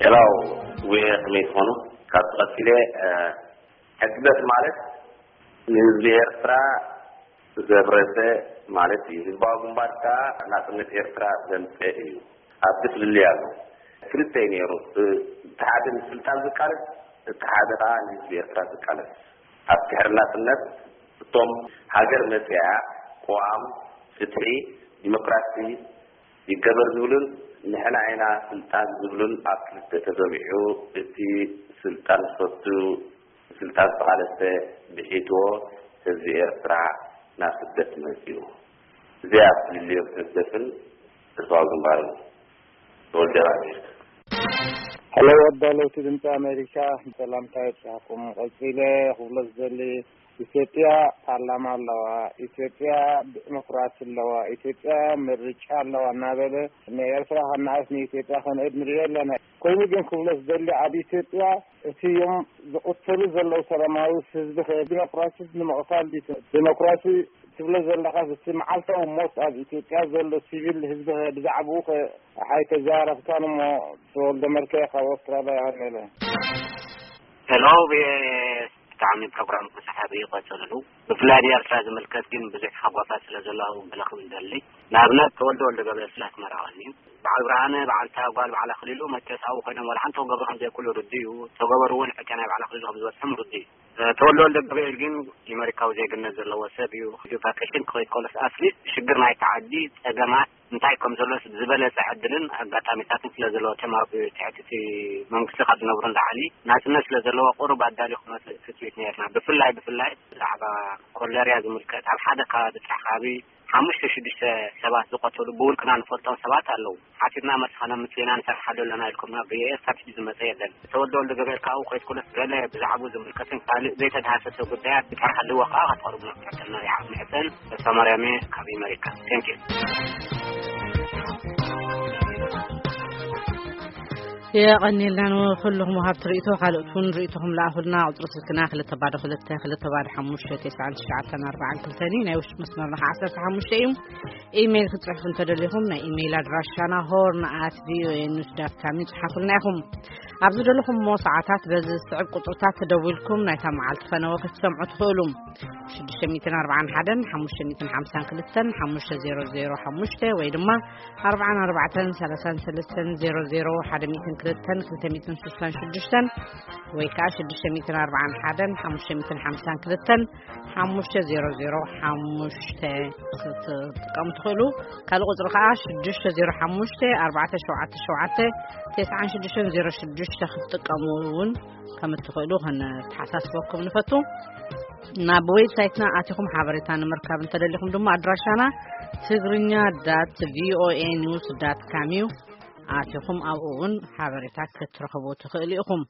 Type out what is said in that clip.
ሄላው፣ ዌ ከመይ ትኾኑ? ካብ ቀፂለ፣ እ፣ ሕግደፍ ማለት ንህዝቢ ኤርትራ ዘብረሰ ማለት እዩ። ህዝባዊ ግንባር ከዓ ናፅነት ኤርትራ ዘምፀ እዩ። ኣብቲ ፍልልይ ኣሎ። ክልተ እዩ ነይሩ። እቲ ሓደ ንስልጣን ዝቃለስ፣ እቲ ሓደ ከዓ ንህዝቢ ኤርትራ ዝቃለስ። ኣብ ድሕሪ ናፅነት እቶም ሃገር መፅያ ቅዋም፣ ፍትሒ፣ ዲሞክራሲ ይገበር ዝብሉን ንሕና ኢና ስልጣን ዝብሉን ኣብ ክልተ ተገቢዑ፣ እቲ ስልጣን ዝፈቱ ስልጣን ዝተቓለሰ ብሒትዎ ህዝቢ ኤርትራ ናብ ስደት መጺኡ። እዚኣ ፍልልዮም ህግደፍን ህዝባዊ ግንባርን። ተወልደ ኣሜሪካ። ሄሎ፣ ኣዳለውቲ ድምፂ ኣሜሪካ፣ ሰላምታ ይብጻሕኩም። ቀጺለ ክብሎ ዝደሊ፣ ኢትዮጵያ ፓርላማ ኣለዋ፣ ኢትዮጵያ ዲሞክራሲ ኣለዋ፣ ኢትዮጵያ ምርጫ ኣለዋ እናበለ ንኤርትራ ከነኣእስ ንኢትዮጵያ ከንእድ ንሪኦ ኣለና። ኮይኑ ግን ክብሎ ዝደሊ፣ ኣብ ኢትዮጵያ እቲ እዮም ዝቕተሉ ዘለዉ ሰላማዊ ህዝቢ ከ ዲሞክራሲ ንምቕታል ድዩ? ዲሞክራሲ ትብሎ ዘለኻስ እቲ መዓልታዊ ሞት ኣብ ኢትዮጵያ ዘሎ ሲቪል ህዝቢ ከ ብዛዕባኡ ከ ኣይተዛረብካን እሞ፣ ተወልደ መልክዕ ካብ ኣውስትራልያ ይቐንየለ። ሄሎ፣ ብጣዕሚ ፕሮግራም ሰሓቢ እዩ፣ ቀጽልሉ። ብፍላይ ንኤርትራ ዝምልከት ግን ብዙሕ ሓጓፋት ስለ ዘሎ ኣብኡ ገለ ክብል ደሊ። ንኣብነት ተወልደ ወልደ ገብረ ስለ ኣስመራ ቀንዩ። በዓል ብርሃነ፣ በዓልታ ጓል በዓል ኣኽሊሉ መቸስ ኣብኡ ኮይኖም ዋላ ሓንቲ ክገብሩ ከም ዘይክእሉ ርዱእ እዩ። ተገበሩ እውን ዕጫ ናይ በዓል ኣኽሊሉ ከም ዝበጽሖም ርዱእ እዩ። ተወልደ ወልደ ገብርኤል ግን የመሪካዊ ዜግነት ዘለዎ ሰብ እዩ። ቫኬሽን ክኸይድ ከሎስ ኣትሊስት ሽግር ናይቲ ዓዲ ጸገማት እንታይ ከም ዘሎስ ዝበለጸ ዕድልን ኣጋጣሚታትን ስለ ዘለዎ፣ እቶም ኣብ ትሕቲ እቲ መንግስቲ ካብ ዝነብሩ ንላዕሊ ናጽነት ስለ ዘለዎ ቁሩብ ኣዳልዩ ክመጽእ ትጽቢት ነይርና። ብፍላይ ብፍላይ ብዛዕባ ኮለርያ ዝምልከት ኣብ ሓደ ከባቢ ጥራሕ ከባቢ ሓሙሽተ ሽዱሽተ ሰባት ዝቐተሉ ብውልቅና ንፈልጦም ሰባት ኣለዉ። ሓቲትና መልሲ ከነምጽእ ኢና ንሰርሓሉ ኣለና ኢልኩምና ብኤኤስ ካብ ዝመጸ የለን። ተወልደ ወልደ ገብርኤል ካብኡ ከይትኩለስ ገለ ብዛዕባኡ ዝምልከትን ካልእ ዘይተዳህሰሰ ጉዳያት ብጥራሕ ኣለዎ ከኣ ከተቕርቡና ክትሕተና ይሓፍ ንሕተን። ተስፋ ማርያም እየ ካብ ኣመሪካ። Thank you። የቐኒልና ንኹልኹም ወሃብቲ ርእይቶ። ካልኦት እውን ርእይቶኹም ለኣኹልና። ቁጽሪ ስልክና ክልተ ባዶ ክልተ ክልተ ባዶ ሓሙሽተ ተስዓን ትሽዓተን ኣርባዓን ክልተን እዩ። ናይ ውሽጢ መስመርና ከዓ ዓሰርተ ሓሙሽተ እዩ። ኢሜይል ክትጽሕፉ እንተደሊኹም ናይ ኢሜይል ኣድራሻና ሆርን ኣት ቪኦኤ ኒውስ ዳት ካም እዩ። ጽሓፉልና ኢኹም። ኣብ ዝደለኹምዎ ሰዓታት በዚ ዝስዕብ ቁጽርታት ተደዊልኩም ናይታ መዓልቲ ፈነወ ክትሰምዑ ትኽእሉ። ሽዱሽተ ሚእትን ኣርባዓን ሓደን ሓሙሽተ ሚእትን ሓምሳን ክልተን ሓሙሽተ ዜሮ ዜሮ ሓሙሽተ ወይ ድማ ኣርባዓን ኣርባዕተን ሰላሳን ሰለስተን ዜሮ ዜሮ ሓደ ሚእትን ክልተን ክልተ ሚእትን ስሳን ሽዱሽተን ወይ ከዓ ሽዱሽተ ሚእትን ኣርባዓን ሓደን ሓሙሽተ ሚእትን ሓምሳን ክልተን ሓሙሽተ ዜሮ ዜሮ ሓሙሽተ ክትጥቀሙ ትኽእሉ። ካልእ ቁጽሪ ከዓ ሽዱሽተ ዜሮ ሓሙሽተ ኣርባዕተ ሸውዓተ ሸውዓተ ተስዓን ሽዱሽተን ዜሮ ሽዱሽተ ክትጥቀሙ እውን ከም እትኽእሉ ከነተሓሳስበኩም ንፈቱ። ናብ ዌብሳይትና ኣቲኹም ሓበሬታ ንምርካብ እንተደሊኹም ድማ ኣድራሻና ትግርኛ ዳት ቪኦኤ ኒውስ ዳት ካም እዩ። ኣቲኹም ኣብኡ እውን ሓበሬታ ክትረኽቡ ትኽእሉ ኢኹም።